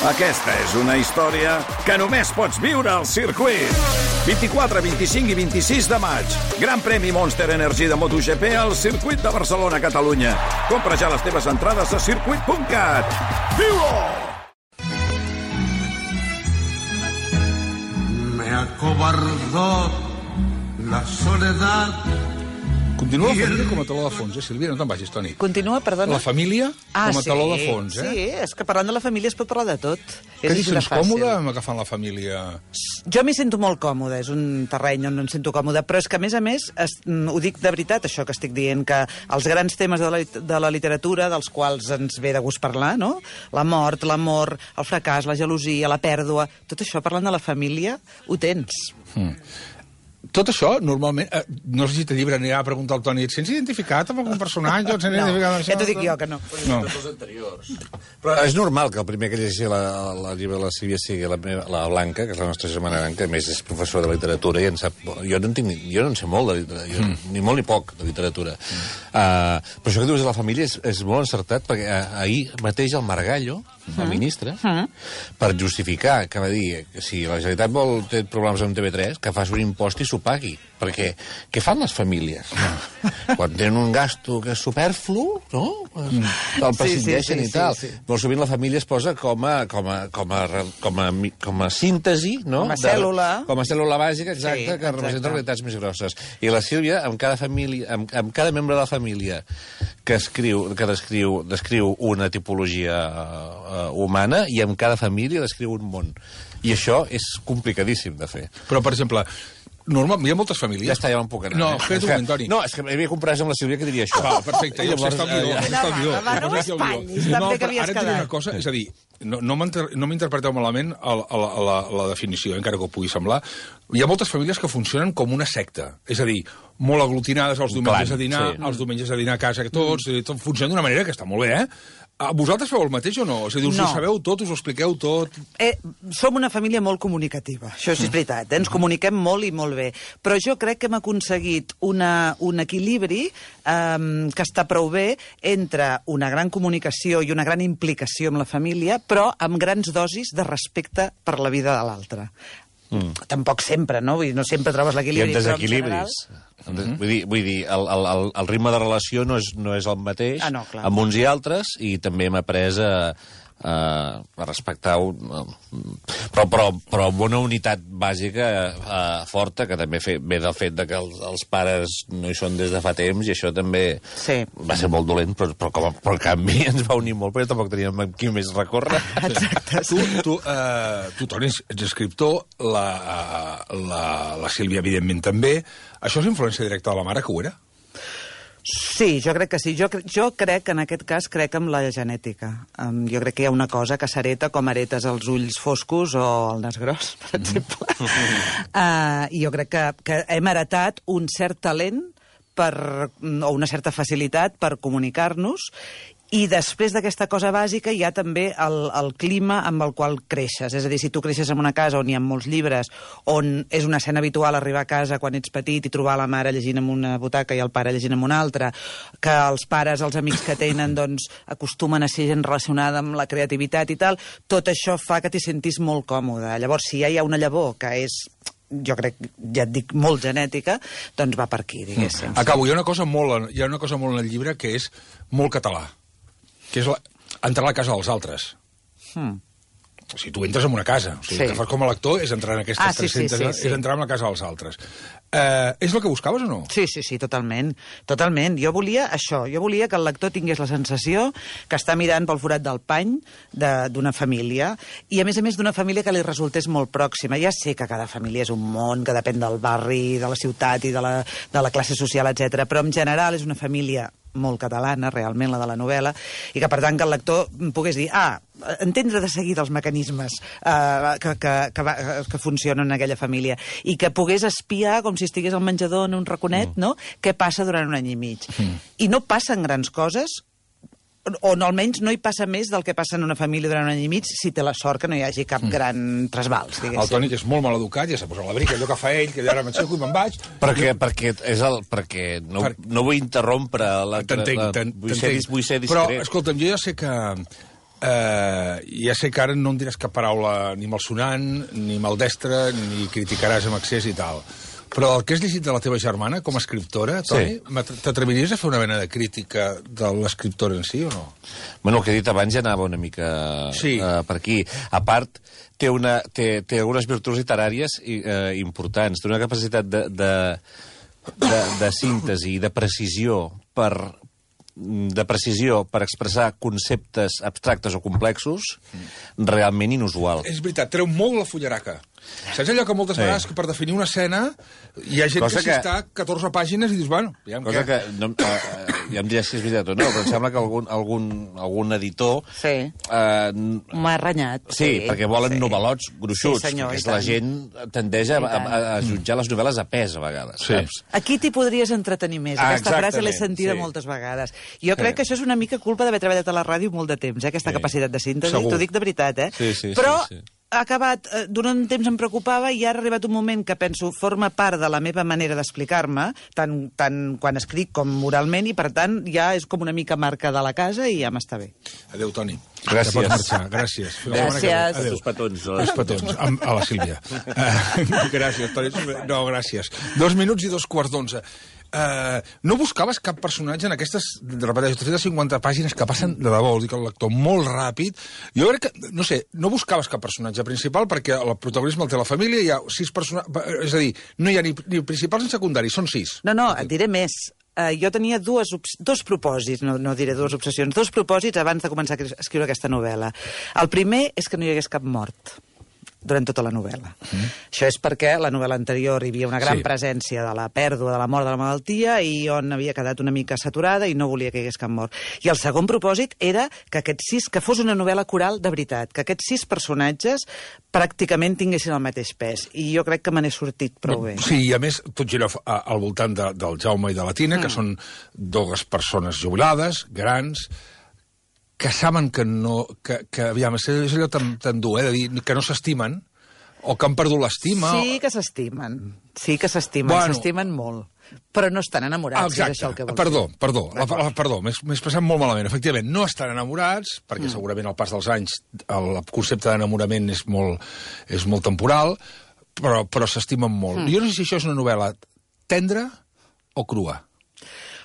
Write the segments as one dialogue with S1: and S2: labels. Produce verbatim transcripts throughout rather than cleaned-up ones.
S1: Aquesta és una història que només pots viure al circuit. vint-i-quatre, vint-i-cinc i vint-i-sis de maig. Gran premi Monster Energy de MotoGP al circuit de Barcelona, Catalunya. Compra ja les teves entrades a circuit punt cat. Viu-ho!
S2: Me acobardó la soledad.
S3: Continua la família com a taló de fons, eh, Sílvia? No te'n vagis, Toni.
S4: Continua, perdona?
S3: La família
S4: ah,
S3: com a
S4: sí,
S3: taló de fons, eh?
S4: Sí, és que parlant de la família es pot parlar de tot.
S3: Que
S4: és
S3: t'hi sents còmode amb agafant la família?
S4: Jo m'hi sento molt còmode, és un terreny on em sento còmode, però és que, a més a més, es, ho dic de veritat, això que estic dient, que els grans temes de la, de la literatura, dels quals ens ve de gust parlar, no? La mort, l'amor, el fracàs, la gelosia, la pèrdua, tot això, parlant de la família, ho tens.
S3: Mm. Tot això, normalment, eh, no sé si te llibre anirà a preguntar al Toni, et sents identificat amb algun personatge? No,
S4: ja t'ho dic jo, que no.
S3: no.
S5: Però és normal que el primer que llegeixi la, la llibre de la Sílvia sigui la, meva, la Blanca, que és la nostra germana gran, que a més és professora de literatura i en sap... Jo no en, tinc, jo no en sé molt de literatura, jo, mm. ni molt ni poc de literatura. Mm. Uh, però això que dius de la família és, és molt encertat, perquè uh, ahir mateix el Margallo, mm. el ministre, mm. per justificar, que va dir que si la Generalitat vol té problemes amb T V tres, que faci un impost i s'ho pagui. Perquè què fan les famílies? No. Quan tenen un gasto que és superflu, no? Mm. El prescindeixen sí, sí, sí, i tal. Sí, sí. Molt sovint la família es posa com a, com a, com a, com a, com a síntesi, no?
S4: Com a cèl·lula.
S5: De, com a cèl·lula bàsica, exacte,
S4: sí,
S5: que representa realitats més grosses. I la Sílvia, amb cada família, amb, amb cada membre de la família que escriu, que descriu, descriu una tipologia uh, humana, i amb cada família descriu un món. I això és complicadíssim de fer.
S3: Però, per exemple, normal, hi ha moltes famílies...
S5: Ja està, ja me'n puc anar.
S3: No,
S5: eh?
S3: espera't un moment, Toni.
S5: No, és que m'havia comprès amb la Sílvia que diria això.
S3: Va, perfecte, ja ho sé, està el guió. Està el guió.
S4: Va, no m'espatllis, també que havies
S3: quedat. Ara et diré una cosa, és a dir, no, no m'interpreteu malament a, a, la, a, la, a la definició, encara que ho pugui semblar. Hi ha moltes famílies que funcionen com una secta, és a dir, molt aglutinades els diumenges a dinar, sí. els diumenges a dinar a casa tots, mm. tot funciona d'una manera que està molt bé, eh? Vosaltres feu el mateix o no? És a dir, us
S4: no.
S3: ho sabeu tot, us ho expliqueu tot?
S4: Eh, som una família molt comunicativa, això sí és veritat, eh? Ens comuniquem molt i molt bé, però jo crec que hem aconseguit una, un equilibri eh, que està prou bé entre una gran comunicació i una gran implicació amb la família, però amb grans dosis de respecte per la vida de l'altre. Mm. Tampoc sempre, no? Vull dir, no sempre trobes l'equilibri.
S5: I amb desequilibris. Mm-hmm. Vull dir, vull dir el, el, el ritme de relació no és, no és el mateix
S4: ah, no,
S5: amb uns i altres, i també hem après a, a, a respectar un, però, però, però amb una unitat bàsica a, forta, que també fe, ve del fet de que els, els pares no hi són des de fa temps, i això també sí. va ser molt dolent, però, però, com a, però en canvi ens va unir molt, perquè tampoc teníem qui més recórrer.
S4: Exacte.
S3: Tu, tu, uh, tu Toni, ets escriptor, la, la, la Sílvia, evidentment, també. Això és influència directa de la mare, que ho era?
S4: Sí, jo crec que sí. Jo, jo crec, en aquest cas, crec en la genètica. Um, jo crec que hi ha una cosa que s'hereta com heretes els ulls foscos o el nas gros, per exemple. uh, I jo crec que, que hem heretat un cert talent per, o una certa facilitat per comunicar-nos, i després d'aquesta cosa bàsica hi ha també el, el clima amb el qual creixes. És a dir, si tu creixes en una casa on hi ha molts llibres, on és una escena habitual arribar a casa quan ets petit i trobar la mare llegint en una butaca i el pare llegint en una altra, que els pares, els amics que tenen, doncs, acostumen a ser gent relacionada amb la creativitat i tal, tot això fa que t'hi sentis molt còmode. Llavors, si ja hi ha una llavor que és, jo crec, ja et dic, molt genètica, doncs va per aquí, diguéssim.
S3: Mm. Acabo, hi ha una cosa molt, hi ha una cosa molt en el llibre que és molt català, que és la, entrar a la casa dels altres. Hmm. O sigui, tu entres en una casa. O sigui, sí. El que fas com a lector és entrar en aquestes
S4: ah, sí,
S3: tres-centes...
S4: Sí, sí, sí.
S3: És entrar en la casa dels altres. Eh, és el que buscaves o no?
S4: Sí, sí, sí, totalment. Totalment. Jo volia això. Jo volia que el lector tingués la sensació que està mirant pel forat del pany d'una família, i a més a més d'una família que li resultés molt pròxima. Ja sé que cada família és un món, que depèn del barri, de la ciutat i de la, de la classe social, etcètera, però en general és una família molt catalana, realment, la de la novel·la, i que, per tant, que el lector pogués dir, ah, entendre de seguida els mecanismes eh, que, que, que, va, que funcionen en aquella família, i que pogués espiar, com si estigués al menjador en un raconet, mm. no?, què passa durant un any i mig. Mm. I no passen grans coses, o no, almenys no hi passa més del que passa en una família durant un any i mig, si té la sort que no hi hagi cap mm. gran trasbals, diguéssim.
S3: El Toni, que és molt mal educat, ja s'ha posat la brica, allò que fa ell, que ara m'aixeco i me'n vaig...
S5: Perquè, perquè, és el, perquè no, per... no vull interrompre... La,
S3: t'entenc,
S5: la,
S3: t'entenc.
S5: Vull ser, vull ser discret.
S3: Però, escolta'm, jo ja sé que... eh, ja sé que ara no em diràs cap paraula ni malsonant, ni maldestra, ni criticaràs amb excés i tal. Però el que has llegit de la teva germana com a escriptora, Toni, sí. t'atreviries a fer una mena de crítica de l'escriptora en si o no?
S5: Bueno, el que he dit abans ja anava una mica sí. uh, per aquí. A part, té, una, té, té algunes virtuts literàries uh, importants. Té una capacitat de, de, de, de síntesi i de precisió per de precisió per expressar conceptes abstractes o complexos realment inusual.
S3: És veritat, treu molt la fullaraca. Saps allò que moltes sí. vegades que per definir una escena hi ha gent Cosa que s'hi que... està catorze pàgines i dius, bueno, ja em
S5: Cosa que, no, uh, ja em diràs si és veritat o no, però em sembla que algun, algun, algun editor...
S4: Sí, uh, m'ha renyat.
S5: Sí, sí, perquè volen sí. novel·lots gruixuts, sí, senyor, perquè la gent tendeix a, a, a jutjar les novel·les a pes, a vegades, sí. saps?
S4: Aquí t'hi podries entretenir més. Ah, aquesta frase l'he sentida sí. moltes vegades. Jo crec sí. que això és una mica culpa d'haver treballat a la ràdio molt de temps, eh, aquesta sí. capacitat de síntesi. T'ho dic de veritat, eh?
S5: Sí, sí,
S4: però
S5: sí, sí.
S4: ha acabat, eh, durant un temps em preocupava i ara ha arribat un moment que penso forma part de la meva manera d'explicar-me, tant, tant quan escric com oralment, i per tant ja és com una mica marca de la casa i ja m'està bé.
S3: Adéu, Toni.
S5: Gràcies.
S3: Ja pots marxar. Gràcies.
S4: Gràcies.
S5: Adéu. Els petons.
S3: Els petons. A, a la Sílvia. Uh, gràcies, Toni. No, gràcies. Dos minuts i dos quarts d'onze. Uh, no buscaves cap personatge en aquestes, repeteixo, tres cents cinquanta pàgines que passen de debò, dic el lector, molt ràpid. Jo crec que, no sé, no buscaves cap personatge principal perquè el protagonisme el té la família, hi ha sis personatges, és a dir, no hi ha ni, ni principals ni secundaris, són sis.
S4: No, no, et diré més. Uh, jo tenia dues, dos propòsits, no, no diré dues obsessions, dos propòsits abans de començar a escriure aquesta novel·la. El primer és que no hi hagués cap mort durant tota la novel·la. Mm. Això és perquè la novel·la anterior hi havia una gran sí. presència de la pèrdua, de la mort, de la malaltia, i on havia quedat una mica saturada i no volia que hi hagués cap mort. I el segon propòsit era que aquests sis, que fos una novel·la coral de veritat, que aquests sis personatges pràcticament tinguessin el mateix pes. I jo crec que me n'he sortit prou bé.
S3: Sí, i a més, tot gira al voltant de, del Jaume i de la Tina, mm. que són dues persones jubilades, grans, que saben que no... Que, que aviam, és allò tan, tan dur, eh, de dir que no s'estimen, o que han perdut l'estima...
S4: Sí que s'estimen, sí que s'estimen, bueno, s'estimen molt, però no estan enamorats,
S3: exacte.
S4: És això el que vols
S3: perdó,
S4: dir.
S3: Perdó, la, la, perdó, m'he expressat molt malament. Efectivament, no estan enamorats, perquè mm. segurament al pas dels anys el concepte d'enamorament és molt, és molt temporal, però, però s'estimen molt. Mm. Jo no sé si això és una novel·la tendra o crua.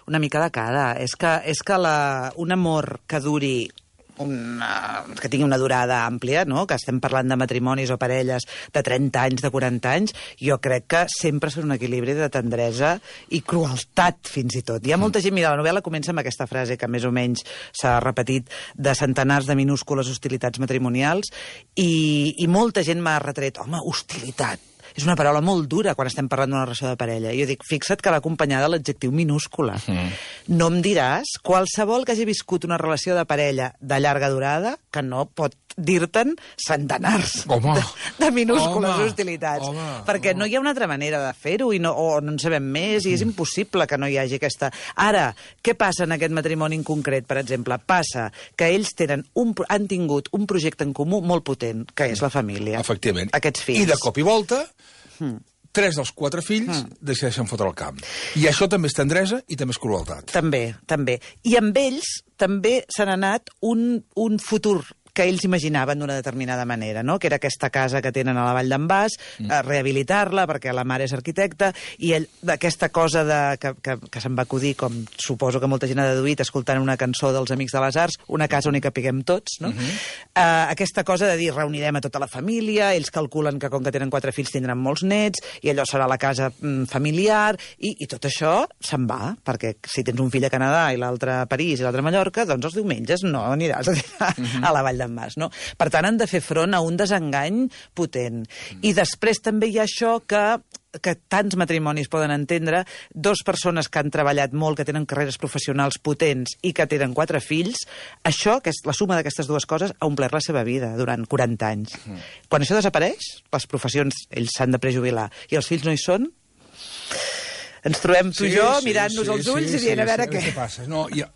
S4: Una mica de cada. És que, és que la, un amor que duri, una, que tingui una durada àmplia, no? Que estem parlant de matrimonis o parelles de trenta anys, de quaranta anys, jo crec que sempre és un equilibri de tendresa i crueltat, fins i tot. Hi ha molta gent, mira, la novel·la comença amb aquesta frase que més o menys s'ha repetit de centenars de minúscules hostilitats matrimonials i, i molta gent m'ha retret, home, hostilitat. És una paraula molt dura quan estem parlant d'una relació de parella. Jo dic, fixa't que va acompanyada de l'adjectiu minúscula. Mm. No em diràs, qualsevol que hagi viscut una relació de parella de llarga durada, que no pot dir-te'n centenars
S3: home,
S4: de, de minúscules
S3: home,
S4: hostilitats.
S3: Home,
S4: perquè
S3: home.
S4: no hi ha una altra manera de fer-ho i no, o no en sabem més i és impossible que no hi hagi aquesta... Ara, què passa en aquest matrimoni en concret, per exemple? Passa que ells tenen un, han tingut un projecte en comú molt potent, que és la família.
S3: Efectivament.
S4: Aquests fills.
S3: I de cop i volta... Hmm. Tres dels quatre fills mm. decideixen fotre el camp. I això també és tendresa i també és crueltat.
S4: També, també. I amb ells també s'ha anat un, un futur que ells imaginaven d'una determinada manera, no? Que era aquesta casa que tenen a la Vall d'en Bas, mm. a rehabilitar-la, perquè la mare és arquitecta, i ell, d'aquesta cosa de, que, que, que se'n va acudir, com suposo que molta gent ha deduït, escoltant una cançó dels Amics de les Arts, una casa on hi capiguem tots, no? Mm-hmm. Uh, aquesta cosa de dir, reunirem a tota la família, ells calculen que com que tenen quatre fills tindran molts nets, i allò serà la casa mm, familiar, i, i tot això se'n va, perquè si tens un fill a Canadà i l'altre a París i l'altre a Mallorca, doncs els diumenges no aniràs a, mm-hmm. a la Vall d'en Mas, no? Per tant, han de fer front a un desengany potent. Mm. I després també hi ha això que que tants matrimonis poden entendre, dos persones que han treballat molt, que tenen carreres professionals potents i que tenen quatre fills, això, que és la suma d'aquestes dues coses, ha omplert la seva vida durant quaranta anys. Mm. Quan això desapareix, les professions, ells s'han de prejubilar, i els fills no hi són, ens trobem tu i
S3: sí,
S4: jo
S3: sí,
S4: mirant-nos
S3: sí,
S4: als ulls
S3: sí,
S4: i dient
S3: sí,
S4: a veure
S3: sí,
S4: què...
S3: què passa. No, ja...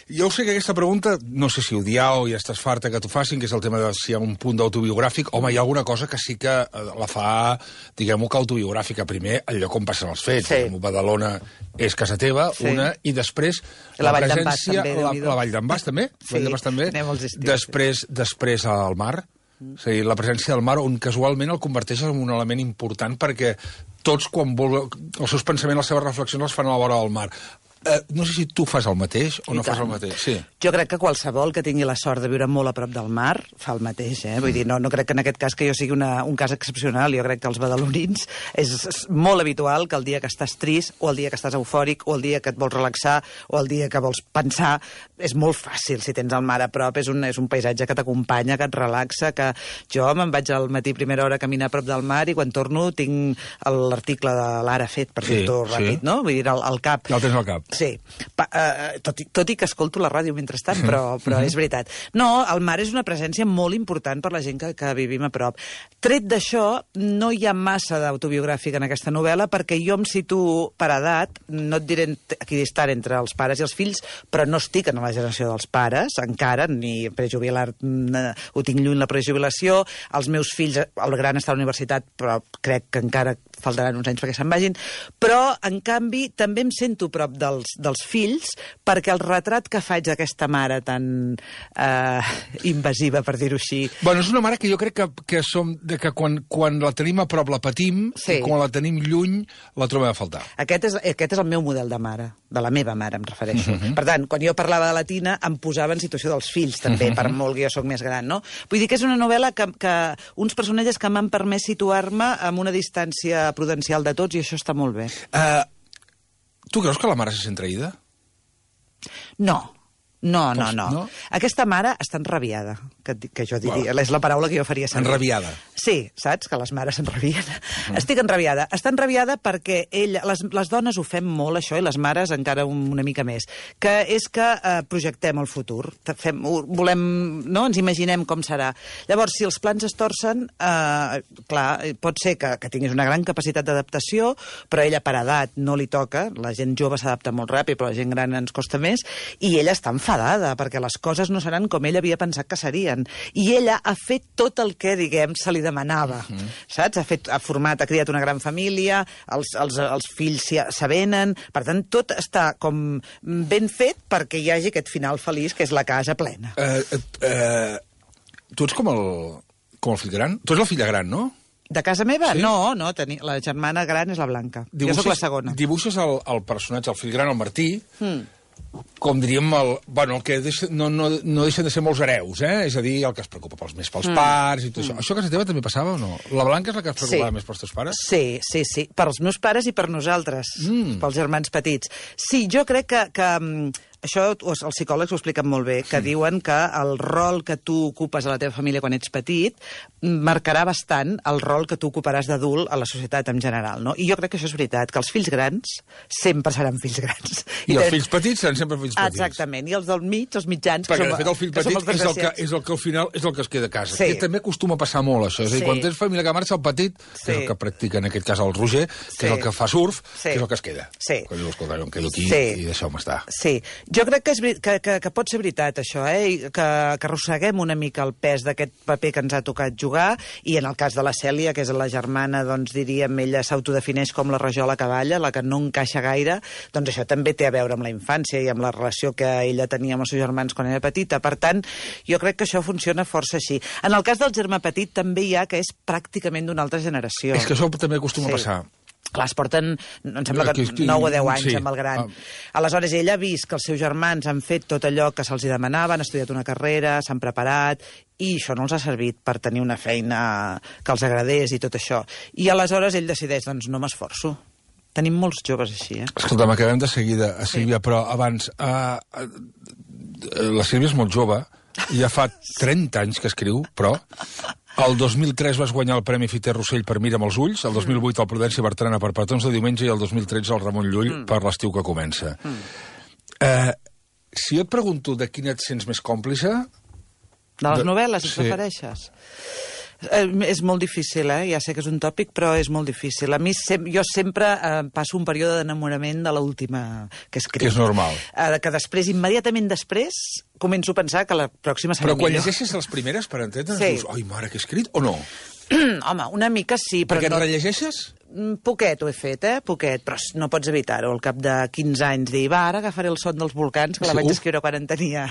S3: Jo sé que aquesta pregunta, no sé si odiar o ja estàs farta que t'ho facin, que és el tema de si hi ha un punt d'autobiogràfic. Home, hi ha alguna cosa que sí que la fa, diguem-ho, que autobiogràfica. Primer, el lloc on passen els fets.
S4: Sí.
S3: Badalona és casa teva,
S4: Sí.
S3: una, i després
S4: La
S3: la,
S4: Vall d'en Bas,
S3: presència...
S4: també,
S3: la,
S4: Déu-n'hi-do.
S3: la Vall d'en Bas, també?
S4: Sí,
S3: Vall d'en Bas, també.
S4: anem als estius,
S3: Després, després al mar. És a dir, la presència del mar, on casualment el converteix en un element important perquè tots, quan vol, els seus pensaments, les seves reflexions, les fan a la vora del mar. Eh, no sé si tu fas el mateix o
S4: I
S3: no fas
S4: tant.
S3: el mateix. Sí.
S4: Jo crec que qualsevol que tingui la sort de viure molt a prop del mar fa el mateix, eh? Vull dir, no, no crec que en aquest cas que jo sigui una, un cas excepcional. Jo crec que els badalonins és, és molt habitual que el dia que estàs trist o el dia que estàs eufòric o el dia que et vols relaxar o el dia que vols pensar, és molt fàcil si tens el mar a prop. És un, és un paisatge que t'acompanya, que et relaxa, que jo me'n vaig al matí primera hora a caminar a prop del mar i quan torno tinc l'article de l'Ara fet, per
S3: Sí,
S4: dir-t'ho
S3: sí.
S4: ràpid, no? Vull dir, al, al cap.
S3: Ja el tens al cap.
S4: Sí, pa, eh, tot, i, tot i que escolto la ràdio mentrestant, però, però és veritat. No, el mar és una presència molt important per la gent que, que vivim a prop. Tret d'això, no hi ha massa d'autobiogràfic en aquesta novel·la perquè jo em situo per edat, no et diré equidistant entre els pares i els fills, però no estic en la generació dels pares, encara, ni prejubilar, ho tinc lluny la prejubilació, els meus fills, el gran està a la universitat, però crec que encara faltaran uns anys perquè se'n vagin, però, en canvi, també em sento prop dels, dels fills perquè el retrat que faig d'aquesta mare tan eh, invasiva, per dir-ho així...
S3: Bueno, és una mare que jo crec que, que, som, de que quan, quan la tenim a prop la patim
S4: Sí.
S3: i quan la tenim lluny la trobem a faltar.
S4: Aquest és, aquest és el meu model de mare, de la meva mare, em refereixo. Uh -huh. Per tant, quan jo parlava de la Tina, em posava en situació dels fills, també, uh -huh. per molt que jo sóc més gran, no? Vull dir que és una novel·la que, que uns personatges que m'han permès situar-me amb una distància prudencial de tots, i això està molt bé.
S3: Uh, tu creus que la mare se sent traïda?
S4: No. No, no, no,
S3: no?
S4: Aquesta mare està enrabiada, que, que jo diria. Bueno. És la paraula que jo faria servir.
S3: Enrabiada.
S4: Sí, saps? Que les mares s'enrabien. Mm. Estic enrabiada. Està enrabiada perquè ella, les, les dones ho fem molt, això, i les mares encara un, una mica més, que és que eh, projectem el futur. Fem, volem, no? Ens imaginem com serà. Llavors, si els plans es torcen, eh, clar, pot ser que, que tinguis una gran capacitat d'adaptació, però ella per edat no li toca. La gent jove s'adapta molt ràpid, però la gent gran ens costa més, i ella està enfadada perquè les coses no seran com ell havia pensat que serien. I ella ha fet tot el que, diguem, se li demanava. Uh -huh. Saps? Ha, fet, ha format, ha criat una gran família, els, els, els fills s'avenen, per tant, tot està com ben fet perquè hi hagi aquest final feliç, que és la casa plena.
S3: Uh, uh, uh, tu ets com el, com el fill gran? Tu ets la filla gran, no?
S4: De casa meva?
S3: Sí?
S4: No, no, teni... la germana gran és la Blanca.
S3: Dibuixes,
S4: jo sóc la segona.
S3: Dibuixes el, el personatge, el fill gran, el Martí,
S4: Mm.
S3: com diríem, el, bueno, el que deixa, no, no, no deixen de ser molts hereus, eh? És a dir, el que es preocupa pels, més pels mm. pares i tot mm. això. Això a casa teva també passava o no? La Blanca és la que es preocupava
S4: Sí.
S3: més pels teus pares?
S4: Sí, sí, sí. Per als meus pares i per nosaltres, mm. pels germans petits. Sí, jo crec que... que això els psicòlegs ho expliquen molt bé, que mm. diuen que el rol que tu ocupes a la teva família quan ets petit marcarà bastant el rol que tu ocuparàs d'adult a la societat en general, no? I jo crec que això és veritat, que els fills grans sempre seran fills grans.
S3: I, I els fills petits seran sempre fills petits.
S4: Exactament, i els del mig, els mitjans...
S3: Perquè,
S4: som,
S3: de fet, el fill
S4: que som
S3: petit
S4: els
S3: és el, que,
S4: desgraciats.
S3: és el que al final és el que es queda a casa.
S4: Sí.
S3: Que també acostuma a passar molt, això. És a dir,
S4: Sí.
S3: quan tens família que marxa, el petit, que
S4: Sí.
S3: és el que practica en aquest cas el Roger, que
S4: Sí.
S3: és el que fa surf,
S4: Sí.
S3: que és el que es queda.
S4: Sí.
S3: Quan diu, escolta, jo em quedo aquí
S4: Sí.
S3: i deixeu-me estar.
S4: Sí, jo crec que, és, veri- que, que, que pot ser veritat, això, eh? I que, que arrosseguem una mica el pes d'aquest paper que ens ha tocat jugar, i en el cas de la Cèlia, que és la germana, doncs diríem, ella s'autodefineix com la rajola cavalla, la que no encaixa gaire, doncs això també té a veure amb la infància i amb la relació que ella tenia amb els seus germans quan era petita. Per tant, jo crec que això funciona força així. En el cas del germà petit també hi ha que és pràcticament d'una altra generació.
S3: És que això també acostuma
S4: Sí.
S3: a passar.
S4: Clar, es porten, em sembla que
S3: Que-
S4: nou o deu anys
S3: sí.
S4: amb el gran.
S3: Ah.
S4: Aleshores, ella ha vist que els seus germans han fet tot allò que se'ls demanava, han estudiat una carrera, s'han preparat, i això no els ha servit per tenir una feina que els agradés i tot això. I aleshores ell decideix, doncs no m'esforço. Tenim molts joves així, eh?
S3: Escolta, m'acabem de seguida, a Sílvia, sí. però abans... Uh, uh, la Sílvia és molt jove, ja fa trenta anys que escriu, però... El dos mil tres vas guanyar el Premi Fiter Rossell per Mira amb els ulls, el dos mil vuit el Prudència Bertrana per Petons de diumenge i el dos mil tretze el Ramon Llull mm. per L'estiu que comença. Mm. Eh, si jo et pregunto de quina et sents més còmplice...
S4: De les
S3: de...
S4: novel·les, et
S3: sí.
S4: refereixes? Eh, és molt difícil, eh? Ja sé que és un tòpic, però és molt difícil. A mi, sem jo sempre eh, passo un període d'enamorament de l'última que he escrit.
S3: Que és normal.
S4: Eh, que després, immediatament després, començo a pensar que la pròxima serà
S3: Però quan
S4: millor.
S3: llegeixes les primeres, per entendre's,
S4: Sí.
S3: dius, ai, mare, que he escrit, o no?
S4: Home, una mica sí, però
S3: Perquè
S4: no...
S3: et rellegeixes?
S4: Mm, Poquet ho he fet, eh? Poquet, però no pots evitar-ho. Al cap de quinze anys dir, va, ara agafaré el son dels volcans, que la
S3: Sí,
S4: vaig
S3: uf.
S4: escriure quan en tenia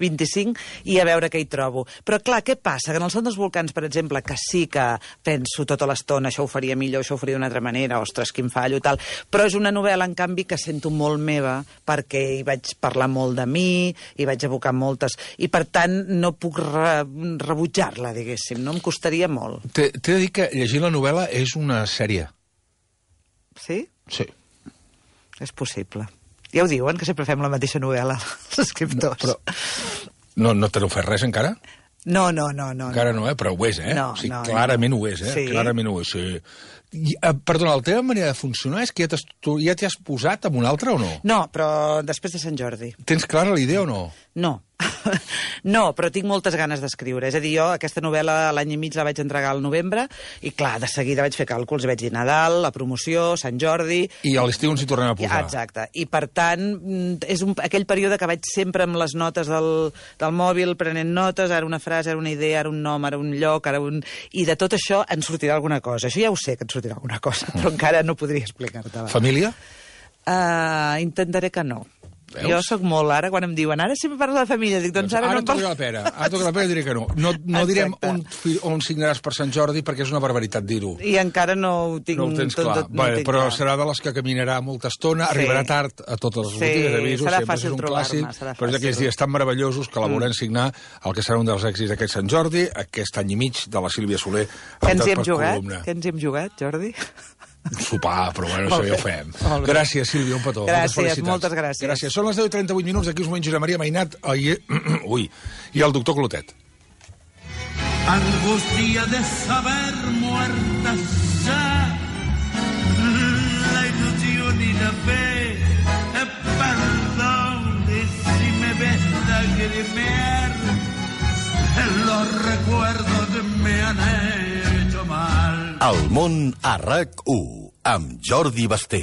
S4: vint-i-cinc, i a veure què hi trobo. Però clar, què passa? Que en el son dels volcans, per exemple, que sí que penso tota l'estona, això ho faria millor, això ho faria d'una altra manera, ostres, quin fallo, tal, però és una novel·la, en canvi, que sento molt meva, perquè hi vaig parlar molt de mi, hi vaig evocar moltes, i per tant no puc re rebutjar-la, diguéssim, no? Em costaria molt.
S3: T'he de dir que llegir la novel·la és una sèrie.
S4: Sí?
S3: Sí.
S4: És possible. Ja ho diuen, que sempre fem la mateixa novel·la, els escriptors.
S3: No, però no, no te n'ho fas res encara?
S4: No, no, no. no
S3: Encara no, eh? Però ho és, eh?
S4: No,
S3: o sigui,
S4: no,
S3: clarament
S4: no.
S3: ho és, eh?
S4: Sí.
S3: Clarament ho és, sí. I, eh, perdona, la teva manera de funcionar és que ja t'has tu ja t'hi has posat amb un altre o no?
S4: No, però després de Sant Jordi.
S3: Tens clara la idea o no?
S4: No. No, però tinc moltes ganes d'escriure. És a dir, jo aquesta novel·la l'any i mig la vaig entregar al novembre i, clar, de seguida vaig fer càlculs. Vaig dir Nadal, la promoció, Sant Jordi...
S3: I a l'estiu ens hi tornem a posar.
S4: Exacte. I, per tant, és un, aquell període que vaig sempre amb les notes del, del mòbil, prenent notes, ara una frase, ara una idea, ara un nom, ara un lloc, ara un... I de tot això en sortirà alguna cosa. Això ja ho sé, que en sortirà alguna cosa, però encara no podria explicar-te.
S3: Família?
S4: Uh, intentaré que no.
S3: Veus?
S4: Jo sóc molt, ara, quan em diuen ara sempre parlo de família, dic, doncs ara,
S3: ara
S4: no em
S3: toca
S4: parlo...
S3: la pera, ara toca la pera i diré que no. No, no direm
S4: Exacte.
S3: on, fi- on signaràs per Sant Jordi perquè és una barbaritat dir-ho.
S4: I encara no ho tinc
S3: No ho tens
S4: tot,
S3: clar.
S4: tot, no ho
S3: Vale,
S4: tinc
S3: però
S4: clar.
S3: serà de les que caminarà molta estona,
S4: Sí.
S3: arribarà tard a totes les
S4: Sí,
S3: botigues d'avisos,
S4: serà
S3: sempre
S4: fàcil
S3: és un
S4: trobar-me,
S3: clàssic,
S4: serà
S3: però és d'aquells
S4: fàcil.
S3: dies tan meravellosos que la veurem signar el que serà un dels èxits d'aquest Sant Jordi, aquest any i mig de la Sílvia Soler.
S4: Que ens hi
S3: optat
S4: hem
S3: per
S4: jugat?
S3: columna.
S4: Que ens hi hem jugat, Jordi?
S3: Sopar, però bueno,
S4: Molt
S3: això ja ho
S4: bé,
S3: fem.
S4: molt bé.
S3: Gràcies, Sílvia, un petó.
S4: Gràcies,
S3: moltes felicitats.
S4: moltes gràcies.
S3: Gràcies. Són les deu i trenta-vuit minuts, d'aquí uns moments Josep Maria Mainat i, ui, i el doctor Clotet.
S2: Angustia de saber muerta ya la ilusión y la fe. Eh, Perdón y si me ves lagrimear, los recuerdos me han hecho mal.
S6: El món a RAC u amb Jordi Basté.